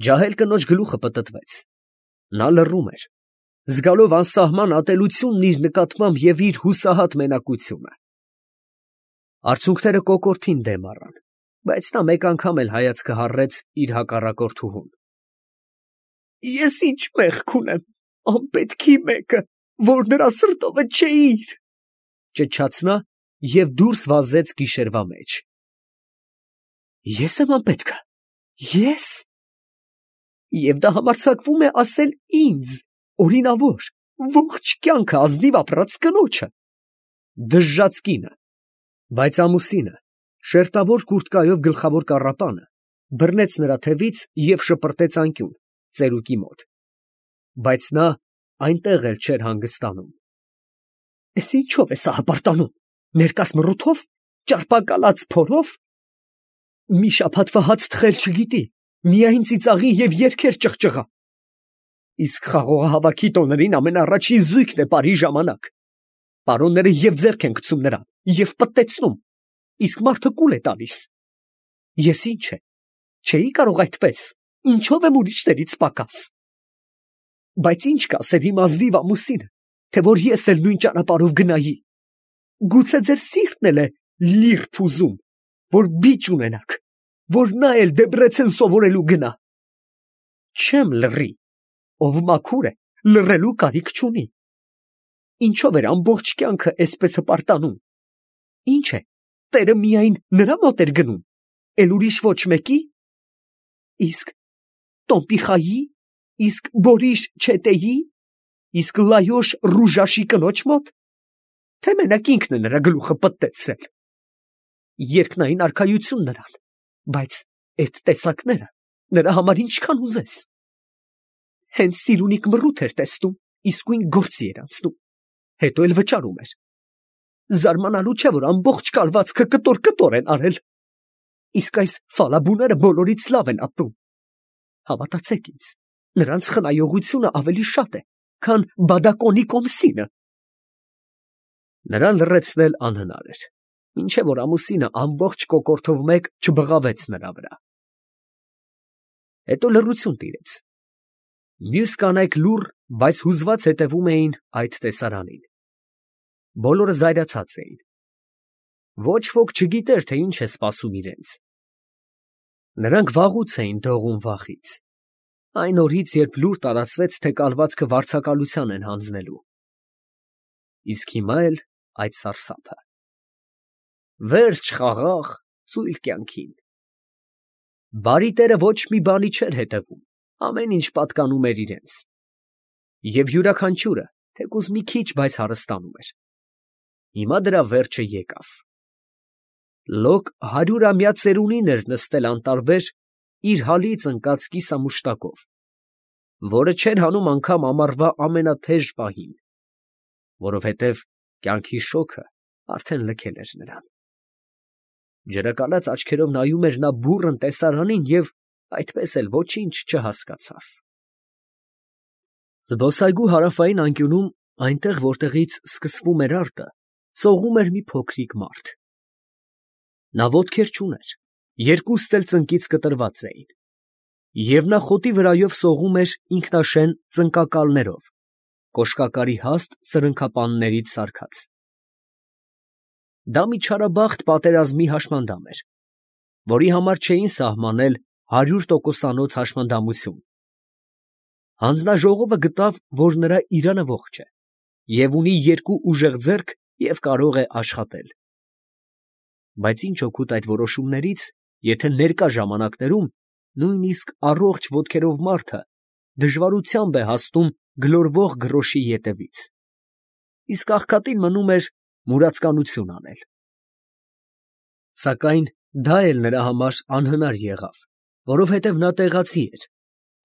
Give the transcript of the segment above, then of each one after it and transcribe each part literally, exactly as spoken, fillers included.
Ջահել կնոջ գլուխը պտտվեց. նա լռում էր, զգալով անսահման ատելությունն իր նկատմամբ և իր հուսահատ մենակությունը։ Արցունքները կոկորդին դեմ առան, բայց նա մեկ անգամ էլ հայացքը հառեց իր հակառակորդուհուն։ Ես ինչ մեղք ունեմ, անպետքի մեկը, որ նրա սրտովը չէիր, ճչաց նա և դուրս վազեց գիշերվա մեջ։ Ես եմ անպետքը, ես… Եվ դա համարձակվում է ասել ինձ, օրինավոր, ողջ կյանքը ազնիվ ապրած կնոջը… Դժժաց կինը… Բայց ամուսինը շերտավոր կուրտկայով գլխավոր կառապանը բռնեց նրա թևից և շպրտեց անկյուն, ծերուկի մոտ… Բայց նա այնտեղ էլ չէր հանգստանում։ Էս ինչո՞վ ես հապարտանում, ներկած մռութո՞վ, ճարպակալած փորո՞վ… Մի շաբաթվա հաց թխել չգիտի, միայն ծիծաղի և երգեր ճղճղա… Իսկ խաղողահավաքի տոներին ամենաառաջին զույգն է պարի ժամանակ… Պարոնները և ձեռք են գցում նրան, և պտտեցնում, իսկ մարդը կուլ է տալիս… Ես ինչ է, չէի՞ կարող այդպես, ինչո՞վ եմ ուրիշներից պակաս… Բայց ի՞նչ կասեր իմ ազնիվ ամուսինը, թե որ ես էլ նույն ճանապարհով գնայի… Գուցե ձեր սիրտն էլ է լիրբ ուզում, որ բիճ ունենաք, որ նա էլ Դեբրեցեն սովորելու գնա… Չեմ լռի, ով մաքուր է, լռելու կարիք չունի… Ինչո՞վ էր ամբողջ կյանքը էսպես հպարտանում… Ինչ է, տերը միայն նրա մոտ էր գնում, էլ ուրիշ ոչ մեկի… Իսկ Տոմպիխայի, իսկ Բորիշ Չետեի, իսկ Լայոշ Ռուժաշի կնոջ մոտ… Թե մենակ ինքն է նրա գլուխը պտտեցրել… Երկնային արքայություն նրան, բայց էդ տեսակները նրա համար ինչքան ուզես… Հենց սիրունիկ մռութ էր տեսնում, իսկույն գործի էր անցնում, հետո էլ վճարում էր… Զարմանալու չէ, որ ամբողջ կալվածքը կտոր֊կտոր են արել… Իսկ այս ֆալաբուները բոլորից լավ են ապրում… Հավատացեք ինձ, նրանց խնայողությունը ավելի շատ է, քան բադակոնի կոմսինը… Նրան լռեցնել անհնար էր, մինչև որ ամուսինը ամբողջ կոկորդով մեկ չբղավեց նրա վրա… Հետո լռություն տիրեց… Մյուս կանայք լուռ, բայց հուզված հետևում էին այդ տեսարանին… Բոլորը զայրացած էին… Ոչ ոք չգիտեր, թե ինչ է սպասում իրենց… Նրանք վաղուց էին դողում վախից… Այն օրից, երբ լուր տարածվեց, թե կալվածքը վարձակալության են հանձնելու… Իսկ հիմա էլ այդ սարսափը… Վերջ խաղաղ, ծույլ կյանքին… Բարի տերը ոչ մի բանի չէր հետևում, ամեն ինչ պատկանում էր իրենց… Եվ յուրաքանչյուրը թեկուզ մի քիչ, բայց հարստանում էր… Հիմա դրա վերջը եկավ… Լոկ հարյուրամյա ծերունին էր նստել անտարբեր իր հալից ընկած կիսամուշտակով, որը չէր հանում անգամ ամառվա ամենաթեժ պահին… Որովհետև կյանքի շոգը արդեն լքել էր նրան… Ջրակալած աչքերով նայում էր նա բուռն տեսարանին և այդպես էլ ոչինչ չհասկացավ… Զբոսայգու հարավային անկյունում, այնտեղ, որտեղից սկսվում էր արտը, սողում էր մի փոքրիկ մարդ… Նա ոտքեր չուներ, երկուստ էլ ծնկից կտրված էին… Եվ նա խոտի վրայով սողում էր ինքնաշեն ծնկակալներով, կոշկակարի հաստ սրընքապաններից սարքած… Դա մի չարաբախտ պատերազմի հաշմանդամ էր, որի համար չէին սահմանել հարյուր տոկոսանոց հաշմանդամություն… Հանձնաժողովը գտավ, որ նրա իրանը ողջ է և ունի երկու ուժեղ ձեռք և կարող է աշխատել… Բայց ինչ օգուտ այդ որոշումներից, եթե ներկա ժամանակներում նույնիսկ առողջ ոտքերով մարդը դժվարությամբ է հասնում գլորվող գրոշի ետևից… Իսկ աղքատին մնում էր մուրացկանություն անել… Սակայն դա էլ նրա համար անհնար եղավ, որովհետև նա տեղացի էր,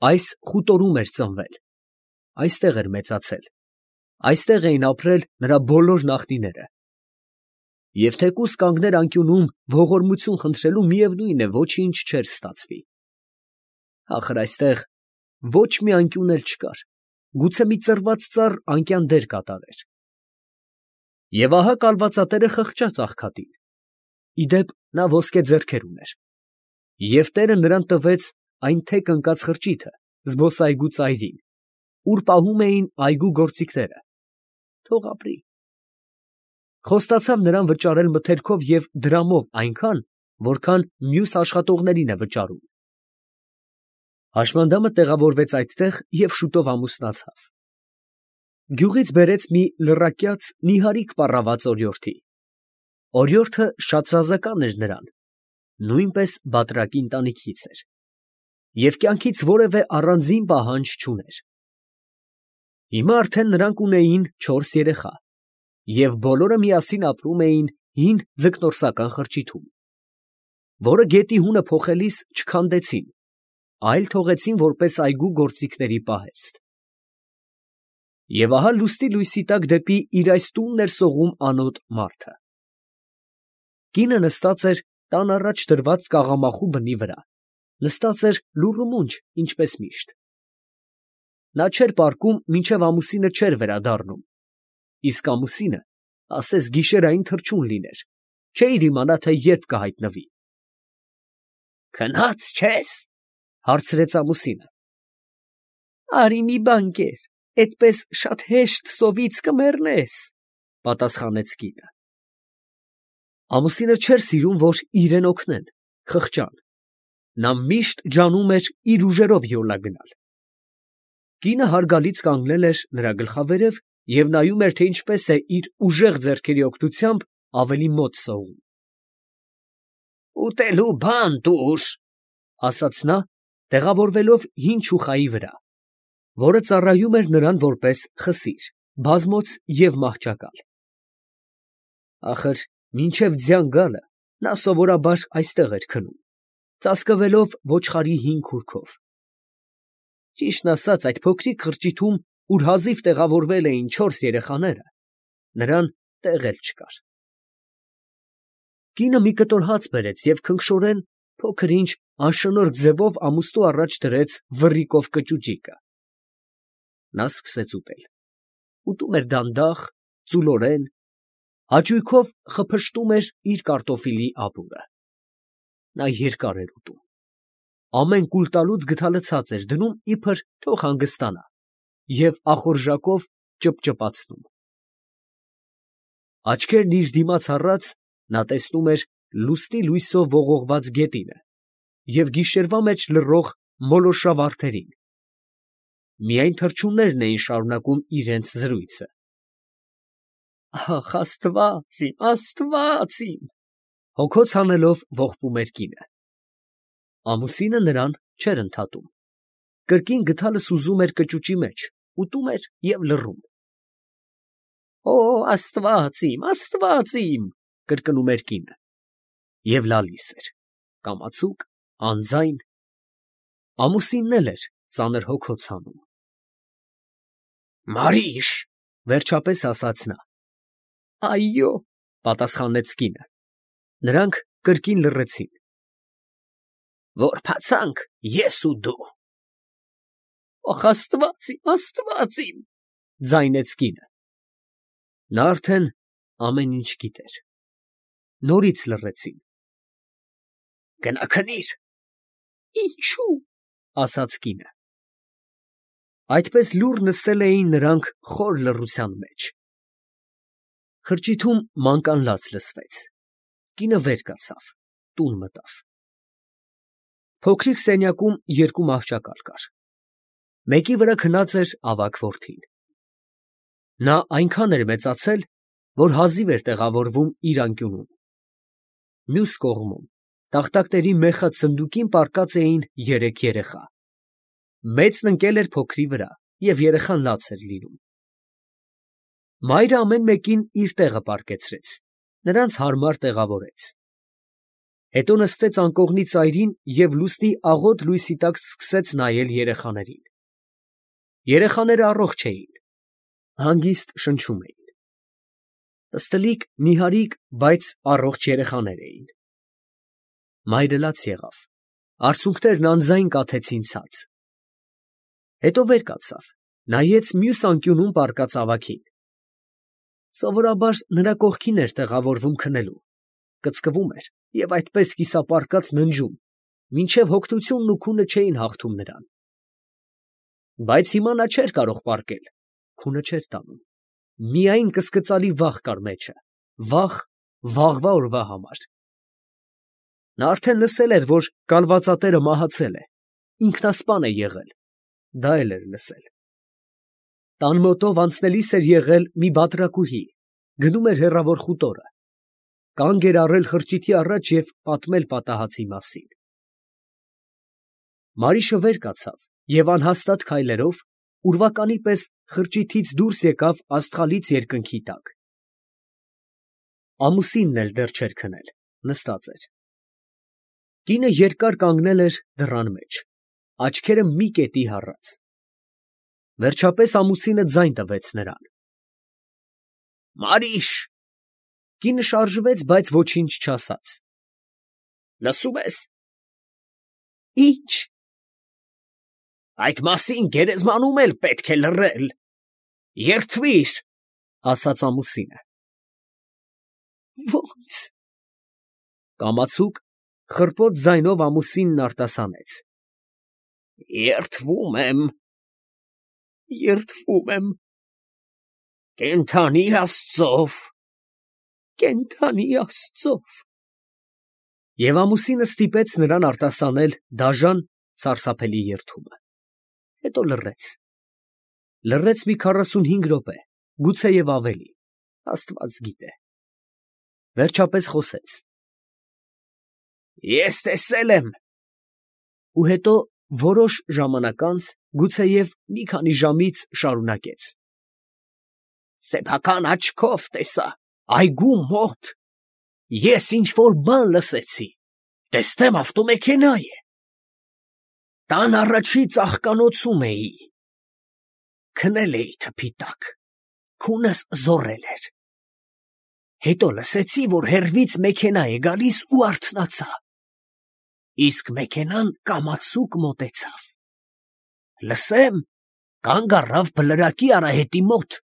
այս խուտորում էր ծնվել, այստեղ էր մեծացել, այստեղ էին ապրել նրա բոլոր նախնիները… Եվ թեկուզ կանգներ անկյունում ողորմություն խնդրելու, միևնույն է, ոչինչ չէր ստացվի… Ախր այստեղ ոչ մի անկյուն էլ չկար, գուցե մի ծռված ծառ անկյան դեր կատարեր… Եվ ահա կալվածատերը խղճաց աղքատին… Ի դեպ, նա ոսկե ձեռքեր ուներ… Եվ տերը նրան տվեց այն թեք ընկած խրճիթը զբոսայգու ծայրին, ուր պահում էին այգու գործիքները, թող ապրի։ Խոստացավ նրան վճարել մթերքով և դրամով այնքան, որքան մյուս աշխատողներին է վճարում։ Հաշմանդամը տեղավորվեց այդտեղ և շուտով ամուսնացավ։ Գյուղից բերեց մի լռակյաց, նիհարիկ պառաված օրիորդի։ Օրիորդը շատ սազական էր նրան, նույնպես բատրակի ընտանիքից էր և կյանքից որևէ առանձին պահանջ չուներ։ Հիմա արդեն նրանք ունեին չորս երեխա և բոլորը միասին ապրում էին հին ձկնորսական խրճիթում, որը գետի հունը փոխելիս չքանդեցին, այլ թողեցին որպես այգու գործիքների պահեստ։ Եվ ահա լուսնի լույսի տակ դեպի իր այս տունն էր սողում անոտ մարդը։ Կինը նստած էր տան առաջ դրված կաղամախու բնի վրա, նստած էր լուռ ու մունջ, ինչպես միշտ։ Նա չէր պառկում, մինչև ամուսինը չէր վերադառնում, իսկ ամուսինը ասես գիշերային թռչուն լիներ, չէիր իմանա, թե երբ կհայտնվի։ ֊ Քնա՞ծ չես, ֊ հարցրեց ամուսինը։ ֊ Արի մի բան կեր, էդպես շատ հեշտ սովից կմեռնես, ֊ պատասխանեց կինը։ Ամուսինը չէր սիրում, որ իրան օգնեն, խղճան. նա միշտ ջանում էր իր ուժերով յոլա գնալ։ Կինը հարգալից կանգնել էր նրա գլխավերև և նայում էր, թե ինչպես է իր ուժեղ ձեռքերի օգնությամբ ավելի մոտ սողում։ ֊ Ուտելու բան տուր, ֊ ասաց նա, տեղավորվելով հին չուխայի վրա, որը ծառայում էր նրան որպես խսիր, բազմոց և մահճակալ։ Ախր մինչև ձյան գալը նա սովորաբար այստեղ էր քնում, ծածկվելով ոչխարի հին քուրքով։ Ճիշտն ասած, այդ փոքրիկ խրճիթում, ուր հազիվ տեղավորվել էին չորս երեխաները, նրան տեղ էլ չկար։ Կինը մի կտոր հաց բերեց և քնքշորեն փոքր֊ինչ անշնորհք ձևով ամուստու առաջ դրեց վռիկով կճուճիկը։ Նա սկսեց ուտել, ուտում էր դանդաղ, ծուլորեն, հաճույքով խփշտում էր իր կարտոֆիլի ապուրը։ Նա երկար էր ուտում, ամեն կուլ տալուց գդալը ցած էր դնում, իբր թող հանգստանա, և ախորժակով ճպճպացնում։ Աչքերն իր դիմաց առած, նա տեսնում էր լուսնի լույսով ողողված գետինը և գիշերվա մեջ լռող մոլորշա վարդերին։ Միայն թռչուններն էին շարունակում իրենց զրույցը։ Ախ, աստված իմ, աստված իմ, ֊ հոգոց հանելով ողբում էր կինը։ Ամուսինը նրան չէր ընդհատում, կրկին գդալը սուզում էր կճուճի մեջ, ուտում էր և լռում։ Օ, աստված իմ, աստված իմ, ֊ կրկնում էր կինը և լալիս էր, կամացուկ, անձայն։ Ամուսինն էլ էր ծանր հոգոց հանում։ Մարիշ, ֊ վերջապես ասաց նա։ Այո, ֊ պատասխանեց կինը։ Նրանք կրկին լռեցին։ Որ բացանք ես ու դու։ Ախ, աստված իմ, աստված իմ, ֊ ձայնեց կինը։ Նա արդեն ամեն ինչ գիտեր։ Նորից լռեցին։ Գնա քնիր։ Ինչո՞ւ, ֊ ասաց կինը։ Այդպես լուռ նստել էին նրանք խոր լռության մեջ։ Խրճիթում մանկանլաց լսվեց։ Կինը վեր կացավ, տուն մտավ։ Փոքրիկ սենյակում երկու մահճակալ կար։ Մեկի վրա քնած էր ավագ որդին։ Նա այնքան էր մեծացել, որ հազիվ էր տեղավորվում իր անկյունում։ Մյուս կողմում տախտակների մեխած սնդուկին պառկած էին երեք երեխա։ Մեծն ընկել էր փոքրի վրա, և երեխան լաց էր լինում։ Մայրը ամեն մեկին իր տեղը պառկեցրեց, նրանց հարմար տեղավորեց։ Հետո նստեց անկողնի ծայրին և լուսնի աղոտ լույսի տակ սկսեց նայել երեխաներին։ Երեխաները առողջ էին, հանգիստ շնչում էին։ Պստլիկ, նիհարիկ, բայց առողջ երեխաներ էին։ Մայրը լաց եղավ, արցունքներն անձայն կաթեցին ցած։ Հետո վեր կացավ, նայեց մյուս անկյունում պառկած ավագին։ Սովորաբար նրա կողքին էր տեղավորվում քնելու, կծկվում էր և այդպես կիսապառկած ննջում, մինչև հոգնությունն ու քունը չէին հաղթում նրան։ Բայց հիմա նա չէր կարող պառկել, քունը չէր տանում, միայն կսկծալի վախ կար մեջը, վախ վաղվա օրվա համար։ Նա արդեն լսել էր, որ կալվածատերը մահացել է, ինքնասպան է եղել, դա էլ էր լսել։ Տան մոտով անցնելիս էր եղել մի բատրակուհի, գնում էր հեռավոր խուտորը, կանգ էր առել խրճիթի առաջ և պատմել պատահածի մասին։ Մարիշը վեր կացավ և անհաստատ քայլերով ուրվականի պես խրճիթից դուրս եկավ աստղալից երկնքի տակ։ Ամուսինն էլ դեռ չէր քնել, նստած էր։ Կինը երկար կանգնել էր դռան մեջ, աչքերը մի կետի հառած։ Վերջապես ամուսինը ձայն տվեց նրան։ «Մարիշ»։ Կինը շարժվեց, բայց ոչինչ չասաց։ «Լսում ես»։ «Ի՞նչ»։ «Այդ մասին գերեզմանում էլ պետք է լռել։ Երդվի՛ր», ասաց ամուսինը։ «Ո՞նց»։ Կամացուկ, խռպոտ ձայնով ամուսինն արտասանեց. «Երդվում եմ»։ «Երդվում եմ»։ «Կենդանի Աստծով»։ «Կենդանի Աստծով»։ Եվ ամուսինը ստիպեց նրան արտասանել դաժան, սարսափելի երդումը։ Հետո լռեց։ Լռեց մի քառասունհինգ րոպե, գուցեև ավելի, աստված գիտե։ Վերջապես խոսեց. «Ես տեսել եմ»։ Ու հետո որոշ ժամանակ անց, գուցեև մի քանի ժամից, շարունակեց. «Սեփական աչքով տեսա, այգու մոտ, ես ինչ֊որ բան լսեցի, տեսնեմ ավտոմեքենա է։ Տան առաջի ծաղկանոցում էի, քնել էի թփի տակ, քունս զոռել էր։ Հետո լսեցի, որ հեռվից մեքենա է գալիս ու արթնացա, իսկ մեքենան կամացուկ մոտեցավ։ Լսեմ, կանգ առավ բլրակի արահետի մոտ։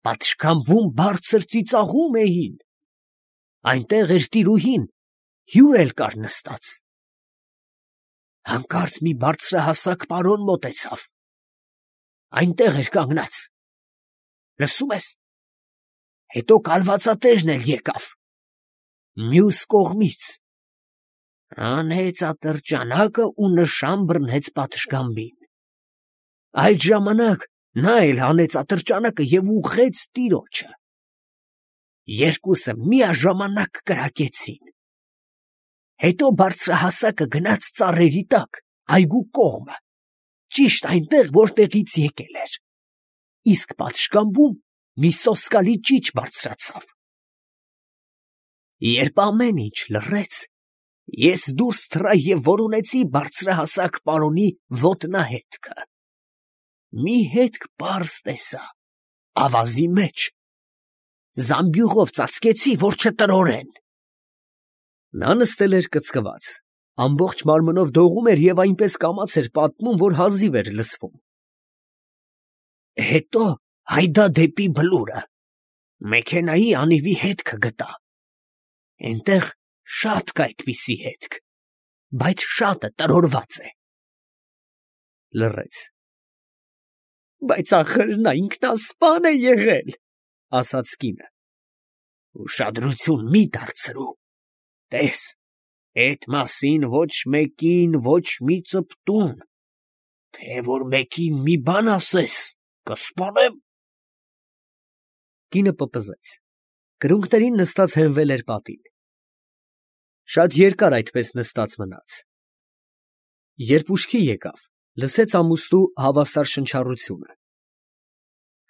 Պատշգամբում բարձր ծիծաղում էին, այնտեղ էր տիրուհին, հյուր էլ կար նստած։ Հանկարծ մի բարձրահասակ պարոն մոտեցավ, այնտեղ էր կանգնած։ Լսում ես։ Հետո կալվածատերն էլ եկավ, մյուս կողմից, հանեց ատրճանակը ու նշան բռնեց պատշգամբին։ Այդ ժամանակ նա էլ հանեց ատրճանակը և ուղղեց տիրոջը։ Երկուսը միաժամանակ կրակեցին։ Հետո բարձրահասակը գնաց ծառերի տակ, այգու կողմը, ճիշտ այնտեղ, որտեղից եկել էր, իսկ պատշգամբում մի սոսկալի ճիչ բարձրացավ։ Երբ ամեն ինչ լռեց, ես դուրս թռա և որոնեցի բարձրահասակ պարոնի ոտնահետքը։ Մի հետք պարզ տեսա, ավազի մեջ, զամբյուղով ծածկեցի, որ չտրորեն։ Նա նստել էր կծկված, ամբողջ մարմնով դողում էր և այնպես կամաց էր պատմում, որ հազիվ էր լսվում։ Հետո հայդա դեպի բլուրը, մեքենայի անիվի հետքը գտա, էնտեղ շատ կա այդպիսի հետք, բայց շատը տրորված է։ Լռեց։ Բայց ախր նա ինքնասպան է եղել, ասաց կինը։ Ուշադրություն մի դարձրու, տես, էդ մասին ոչ մեկին ոչ մի ծպտուն, թե որ մեկին մի բան ասես, կսպանեմ։ Կինը պպզեց, կրունկներին նստած հենվել էր պատին։ Շատ երկար այդպես նստած մնաց։ Երբ ուշքի եկավ, լսեց ամուստու հավասար շնչառությունը։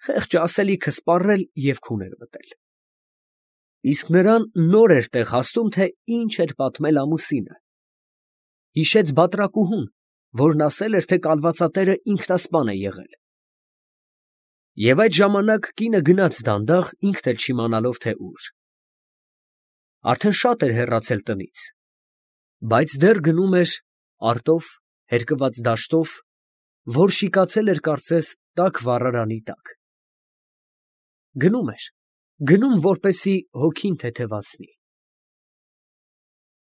Խեղճը ասելիքը սպառել և քուն էր մտել։ Իսկ նրան նոր էր տեղ հասնում, թե ինչ էր պատմել ամուսինը։ Հիշեց բատրակուհուն, որն ասել էր, թե կալվածատերը ինքնասպան է եղել։ Եվ այդ ժամանակ կինը գնաց դանդաղ, ինքն էլ չիմանալով, թե ուր։ Արդեն շատ էր հեռացել տնից, բայց դեռ գնում էր արտով, հերկված դաշտով, որ շիկացել էր կարծես տաք վառարանի տակ։ Գնում էր, գնում, որպեսզի հոգին թեթևացնի։